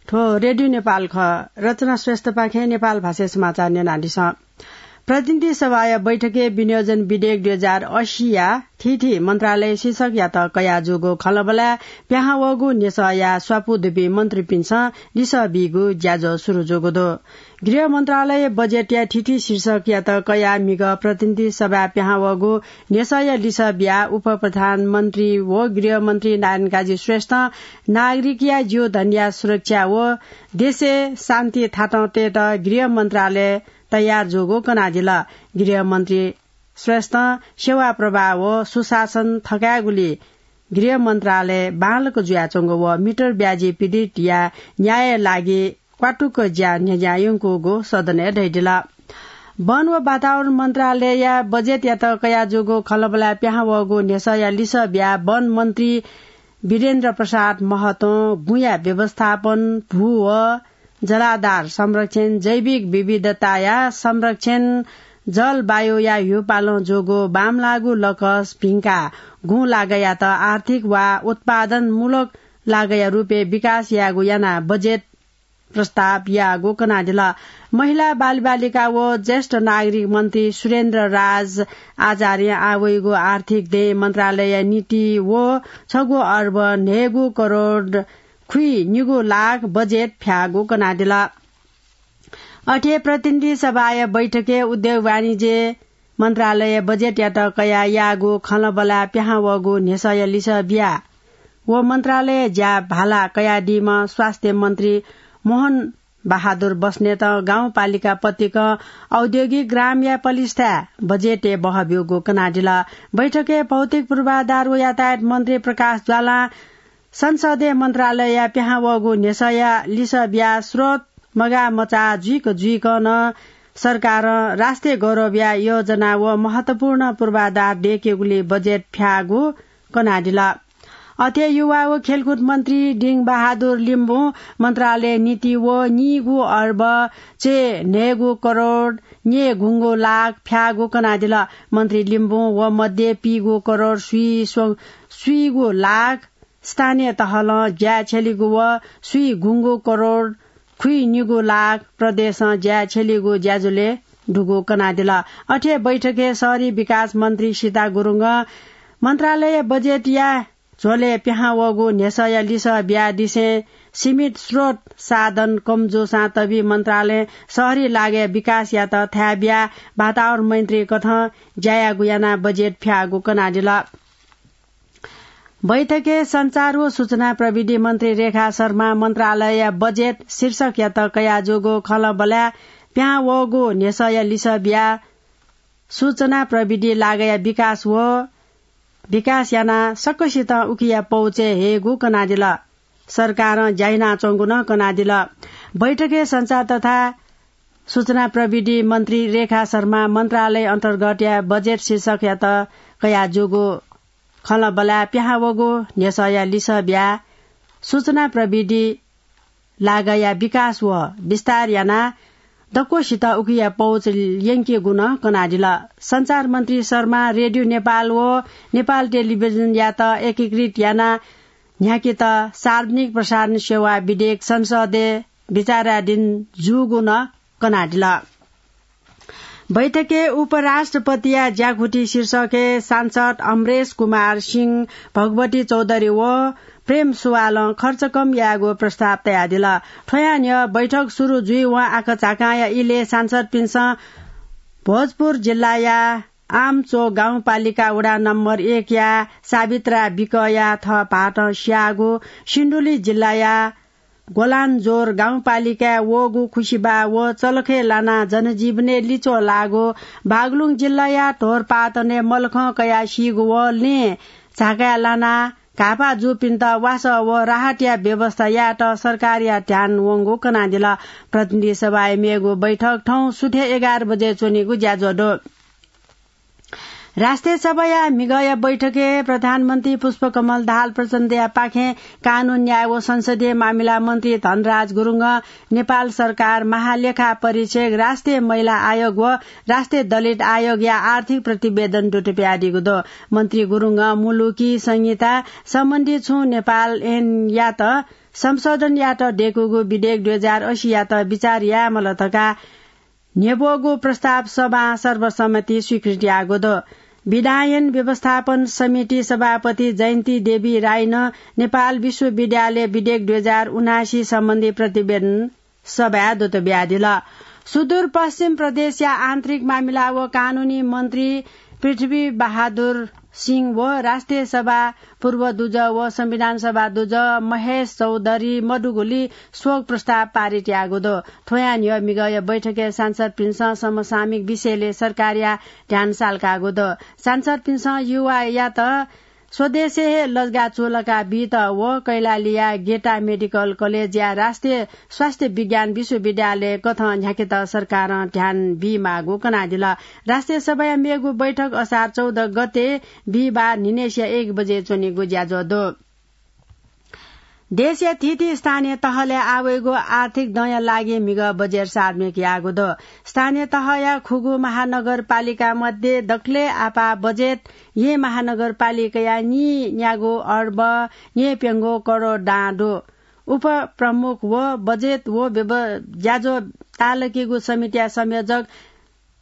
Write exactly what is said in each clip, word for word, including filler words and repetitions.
थ्व रेडियो नेपाल खः। रचना श्रेष्ठपाखें नेपाल भाषाय् समाचार न्यनादिसँ। प्रतिनिधि सभाया बैठकय् विनियोजन विधेयक दुई हजार अस्सीया थीथी मन्त्रालय शीर्षकयात कयाजूगु खँल्हाबल्हाय् पिहां वःगु न्ह्यसःया स्वापू दुपिं मन्त्रीपिन्सं लिसः बीगु ज्याझ्वः सुरु जूगु दु। गृह मन्त्रालय बजेटया थीथी शीर्षकयात कयाः म्हिगः प्रतिनिधि सभाय् पिहां वःगु न्ह्यसःया लिसः बियाः उपप्रधानमन्त्री व गृहमन्त्री नारायण काजी श्रेष्ठं नागरिकया जीवधनया सुरक्षा व देशय् शान्ति थातं तयेत गृह मन्त्रालय तयार जूगु कनादिल। गृहमन्त्री श्रेष्ठं सेवा प्रवाह व सुशासन थकायेगुली गृह मन्त्रालय बांलाक जुयाच्वंगु व मिटर ब्याजी पीडितया न्यायया लागि क्वातुक ज्या न्ह्यज्यां यंकूगु सदनय् धयादिल। वन व वातावरण मन्त्रालयया बजेटयात कयाजूगु खँल्हाबल्हाय् पिहां वःगु न्ह्यसःया लिसः बियाः वन मन्त्री वीरेन्द्र प्रसाद महतों गुँया व्यवस्थापन, भू व जलाधार संरक्षण, जैविक विविधताया संरक्षण, जलवायुया ह्यूपालं जूगु बांमलाःगु लकस भिंकाः गुँ लागःयात आर्थिक वा उत्पादनमूलक लागःया रूपय् विकास यायेगु यानाः बजेट प्रस्ताव याःगु कनादिल। महिला, बालबालिका व ज्येष्ठ नागरिक मन्त्री सुरेन्द्र राज आचार्यं आः वइगु आर्थिक दँय् मन्त्रालयया निंतिं व छगू अर्ब न्हय्गू करोड खुइनिगू लाख बजेट फ्याःगु कनादिल। अथे प्रतिनिधि सभाया बैठकय् उद्योग वाणिज्य मन्त्रालय बजेटयात कयाः याःगु खँल्हाबल्हाय् पिहां वःगु न्ह्यसःया लिसः बियाः व मन्त्रालय ज्या भाला कयादीम्ह स्वास्थ्य मन्त्री मोहन बहादुर बस्नेतं गाउँपालिका पतिकं औद्योगिक ग्रामया पलिस्थाय् बजेटय् बहः ब्यूगु कनादिल। बैठकय् भौतिक पूर्वाधार व यातायात मन्त्री प्रकाश ज्वालां संसदय् मन्त्रालयया पिहां वःगु न्ह्यसःया लिसः बियाः स्रोत मगाः मचाः जुइक जुइकं नं सरकारं राष्ट्रिय गौरवया योजना व महत्वपूर्ण पूर्वाधार दयेकेगुली बजेट फ्याःगु कनादिल। अथे युवा व खेलकुद मन्त्री डिङ बहादुर लिम्बुं मन्त्रालय निंतिं व निगू अर्ब च्वय् न्हय्गू करोड न्यय्गुंगू लाख फ्याःगु कनादिल। मन्त्री लिम्बुं व मध्ये पीगू करोड स्वीस्व-, स्वीगू लाख स्थानीय तहलं ज्याय् छ्यलीगु व स्वीगुंगू करोड खुइनिगू लाख प्रदेशं ज्याय् छ्यलीगु ज्याझ्वलय् दुगु कनादिल। अथे बैठकय् शहरी विकास मन्त्री सीता गुरुङं मन्त्रालय बजेटया झ्वलय् पिहां वःगु न्ह्यसःया लिसः बियादिसें सीमित स्रोत साधन कम जूसां तबि मन्त्रालयं शहरी लागःया विकासयात थाय् बियाः वातावरण मैत्री कथं ज्या याःगु यानाः बजेट फ्याःगु कनादिल। बैठकय् सञ्चार व सूचना प्रविधि मन्त्री रेखा शर्मा मन्त्रालयया बजेट शीर्षकयात कयाजूगु खँल्हाबल्हाय् पिहां वःगु न्ह्यसःया लिसः बियाः सूचना प्रविधि लागःया विकास व विकास यानाः सकसितं उकिया पहुँचय् हयेगु कनादिल। सरकारं ज्या यानाच्वंगु नं कनादिल। बैठकय् सञ्चार तथा सूचना प्रविधि मन्त्री रेखा शर्मा मन्त्रालय अन्तर्गतया बजेट शीर्षकयात कयाजूगु खँल्हाबल्हाय् पिहां वःगु न्ह्यसःया लिसः बियाः सूचना प्रविधि लागःया विकास व विस्तार यानाः दक्वसित उकिया पहुँच यंकेगु नं कनादिल। सञ्चार मन्त्री शर्मा रेडियो नेपाल व नेपाल टेलिभिजनयात एकीकृत यानाः न्ह्याकेत सार्वजनिक प्रसारण सेवा विधेयक संसदय् विचाराधीन जूगु नं कनादिल। बैठकय् उपराष्ट्रपतिया ज्याकुथि शीर्षकय् सांसद अमरेश कुमार सिंह, भगवती चौधरी व प्रेम सुवालं खर्च कम यायेगु प्रस्ताव तयादिल। थ्वया न्ह्यः बैठक सुरु जुइवं आखझाकांया इलय् सांसदपिन्सं भोजपुर जिल्लाया आमचोक गाउँपालिका वडा नम्बर एकया सावित्रा विकया थः भाःतं स्याःगु, सिन्धुली जिल्लाया ग्वलानजोर गाउँपालिकाय् वःगु खुसिबाः व चलखय् लानाः जनजीवनय् लिच्वः लाःगु, बागलुङ जिल्लाया ढोरपाटनय् मलखं कयाः सीगु व लँय् झाकाय् लानाः घाःपाः जूपिन्त वासः व राहतया व्यवस्था यायेत सरकारया ध्यान वंगु कनादिल। प्रतिनिधि सभाया मेगु बैठक थौं सुथय् एघार बजे च्वनीगु ज्याझ्वः दु। राष्ट्रिय सभाया म्हिगःया बैठकय् प्रधानमन्त्री पुष्पकमल दाहाल प्रचण्डया पाखें कानून, न्याय व संसदीय मामिला मन्त्री धनराज गुरुङं नेपाल सरकार, महालेखा परीक्षक, राष्ट्रिय महिला आयोग व राष्ट्रिय दलित आयोगया आर्थिक प्रतिवेदन दुत बियादीगु दु। मन्त्री गुरुङं मुलुकी संहिता सम्बन्धी छुं नेपाल ऐनयात संशोधन यात दय्‌कूगु विधेयक दुई हजार अस्सीयात विचार यायेमाल धकाः न्ह्यब्वःगु प्रस्ताव सभां सर्वसम्मति स्वीकृति याःगु दु। विधायन व्यवस्थापन समिति सभापति जयन्ती देवी राईनं नेपाल विश्वविद्यालय विधेयक दुई हजार उनासी सम्बन्धी प्रतिवेदन सभाय् दूत बियादिल। सुदूरपश्चिम प्रदेशया आन्तरिक मामिला व कानूनी मन्त्री पृथ्वी बहादुर सिंह व राष्ट्रिय सभा पूर्व दुजः व संविधान सभा दुजः महेश चौधरी मदुगुलिं शोक प्रस्ताव पारित याःगु दु। थ्वया न्ह्यः मिगःया बैठकय् सांसदपिन्सं समसामयिक विषयलय् सरकारया ध्यान सालकाःगु दु। सांसदपिन्सं युवायात स्वदेशय् हे लजगाः चूलाका बीत व कैलालीया गेटा मेडिकल कलेजया राष्ट्रिय स्वास्थ्य विज्ञान विश्वविद्यालय कथं न्ह्याकेत सरकारं ध्यान बीमाःगु कनादिल। राष्ट्रिय सभाया मेगु बैठक असार चौध गते बिहिबार न्हिनेसिया एक बजे च्वनीगु ज्याझ्वः दु। देशया थीथी स्थानीय तहलय् आवइगु आर्थिक दँया लागि म्हिगः बजेट सार्वजनिक याःगु दु। स्थानीय तहया खुगू महानगरपालिका मध्ये दकलय् आपाः बजेट येँ महानगरपालिकाया नीन्यागू अर्ब नीप्यंगू करोड दां दु। उपप्रमुख व बजेट व व्यव-, ज्याझ्वः ताःलाकीगु समितिया संयोजक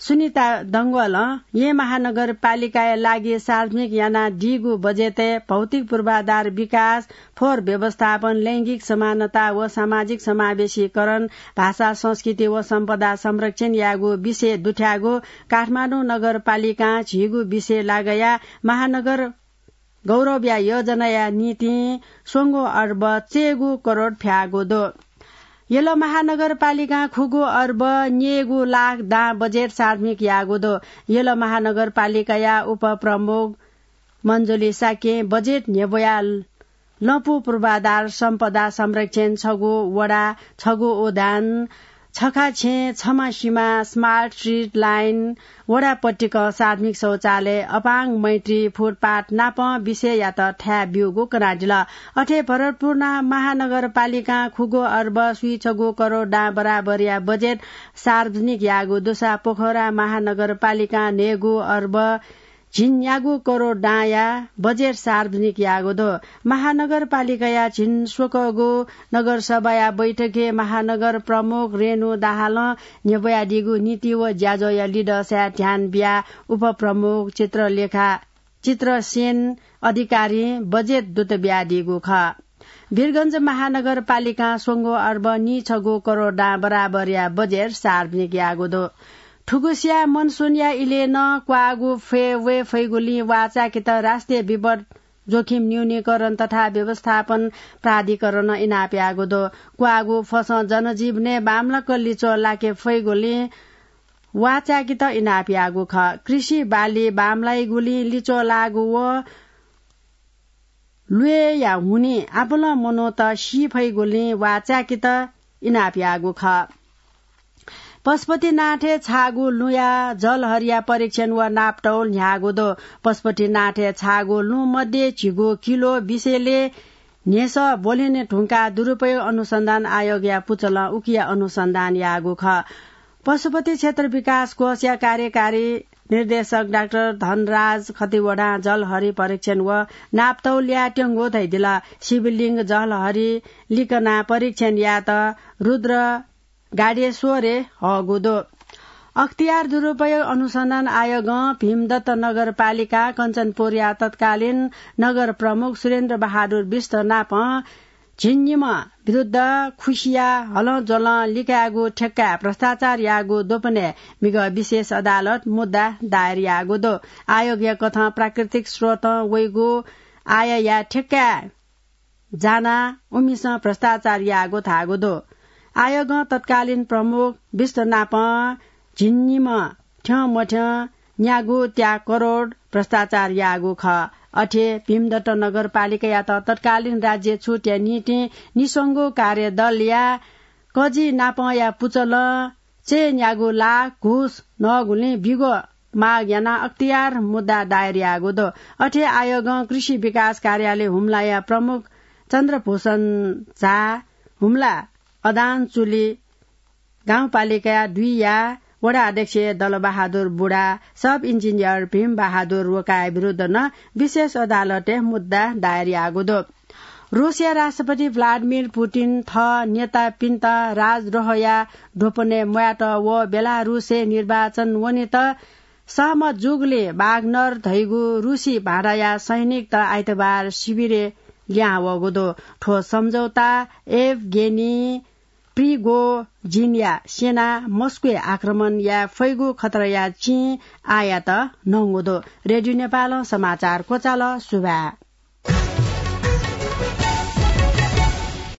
सुनिता डंगोलं येँ महानगरपालिकाया लागि सार्वजनिक यानादीगु बजेटय् भौतिक पूर्वाधार विकास, फोहोर व्यवस्थापन, लैंगिक समानता व सामाजिक समावेशीकरण, भाषा, संस्कृति व सम्पदा संरक्षण यायेगु विषय दुथ्याःगु काठमाडौं नगरपालिकां झीगु विषय लागया महानगर गौरवया योजनाया निंतिं स्वंगू अर्ब चय्‌गू करोड फ्याःगु दु। यल महानगरपालिकां खुगू अर्ब न्यय्‌गू लाख दां बजेट सार्वजनिक याःगु दु। यल महानगरपालिकाया उपप्रमुख मञ्जुली शाक्यं बजेट न्ह्यब्वयाः लँपु पूर्वाधार सम्पदा संरक्षण, छगू वडा छगू उद्यान, छखा छेँ छम्ह सिमा, smart street line, वडा पट्टिकं सार्वजनिक शौचालय, अपाङ्ग मैत्री फुटपाथ नापं विषययात थाय् ब्यूगु कनादिल। अथे भरतपुर महानगरपालिकां खुगू अर्ब स्वीछगू करोड दां बराबरया बजेट सार्वजनिक याःगु दुसा पोखरा महानगरपालिकां न्हय्‌गू अर्ब झिंन्यागू करोड दांया बजेट सार्वजनिक याःगु दु। महानगरपालिकाया झिंस्वकःगु नगरसभाया बैठकय् महानगर प्रमुख रेणु दाहालं न्ह्यब्वयादीगु नीति व ज्याझ्वःया लिधंसाय् ध्यान बियाः उपप्रमुख चित्रलेखा, चित्रसेन अधिकारीं बजेट दूत बियादीगु खः। वीरगंज महानगरपालिकां स्वंगू अर्ब नीछगू करोड दां बराबरया बजेट सार्वजनिक याःगु दु। थुगुसिया मनसुनया इलय् नं क्वाःगु फय् वये फइगुलिं वाःचाय्‌केत राष्ट्रिय विपद जोखिम न्यूनीकरण तथा व्यवस्थापन प्राधिकरणं इनाप याःगु दु। क्वाःगु फसं जनजीवनय् बांमलाक लिच्वः लाके फइगुलिं वाःचाय्‌केत इनाप याःगु खः। कृषि बाली बांमलाइगुलिं लिच्वः लाःगु व ल्वय्‌या हुनिं आपालं मनूत सी फइगुलिं वाःचाय्‌केत इनाप याःगु खः। पशुपतिनाथय् छाःगु लुँया जलहरिया परीक्षण व नापतौल न्ह्याःगु दु। पशुपतिनाथय् छाःगु लुँ मध्ये झिगू किलो विषयलय् न्ह्यसः ब्वलने धुंकाः दुरुपयोग अनुसन्धान आयोगया पुचलं उकिया अनुसन्धान याःगु खः। पशुपति क्षेत्र विकास कोषया कार्यकारी निर्देशक डाक्टर धनराज खतिवडां जलहरि परीक्षण व नापतौल यायेत्यंगु धयादिल। शिवलिङ्ग जलहरि लिकनाः परीक्षण यायेत रुद्र गाडेश्वरय् हःगु दु। अख्तियार दुरुपयोग अनुसन्धान आयोगं भीमदत्त नगरपालिका कञ्चनपुरया तत्कालीन नगर प्रमुख सुरेन्द्र बहादुर विष्ट नाप झिंनिम्ह विरुद्ध खुसिया हलंज्वलं लिकायेगु ठेक्काय् भ्रष्टाचार याःगु द्वपनय् म्हिगः विशेष अदालत मुद्दा दायर याःगु दु। आयोगया कथं प्राकृतिक स्रोतं वइगु आयया ठेक्काय् जानाः उमिसं भ्रष्टाचार याःगु धाःगु दु। आयोगं तत्कालीन प्रमुख विष्ट नाप झिंनिम्ह थ्यंमथ्यं न्यागू त्या करोड भ्रष्टाचार याःगु खः। अथे भीमदत्त नगरपालिकायात तत्कालीन राज्य छुटया निंतिं निस्वंगू कार्यदलया कजि नापंया पुचलं चय्‌न्यागू लाख घुस नःगुलिं बिगो माग यानाः अख्तियार मुद्दा दायर याःगु दु। अथे आयोगं कृषि विकास कार्यालय हुम्लाया प्रमुख चन्द्रभूषण झा, हुम्ला अदानचुली गाउँपालिका दुईया वडा अध्यक्ष दलबहादुर बुढा, सब इन्जिनियर भीमबहादुर रोकाया विरुद्ध नं विशेष अदालतय् मुद्दा दायर याःगु दु। रूसया राष्ट्रपति भ्लादिमिर पुतिन थः नेतापिन्त राजद्रोहया ढोपनय् म्वायेत व बेलारूसय् निर्वाचन वनेत सहमत जूगुलिं वाग्नर धइगु रूसी भाँडाया सैनिकत आइतबार सिबिरय् लिहां वःगु दु। थ्व सम्झौता एभगेनी प्रिगोजिनया सेना मस्कोय् आक्रमण याये फइगु खतराया चिं आःयात नंगु दु। रेडियो नेपालं समाचार क्वचाल। सुभाय्।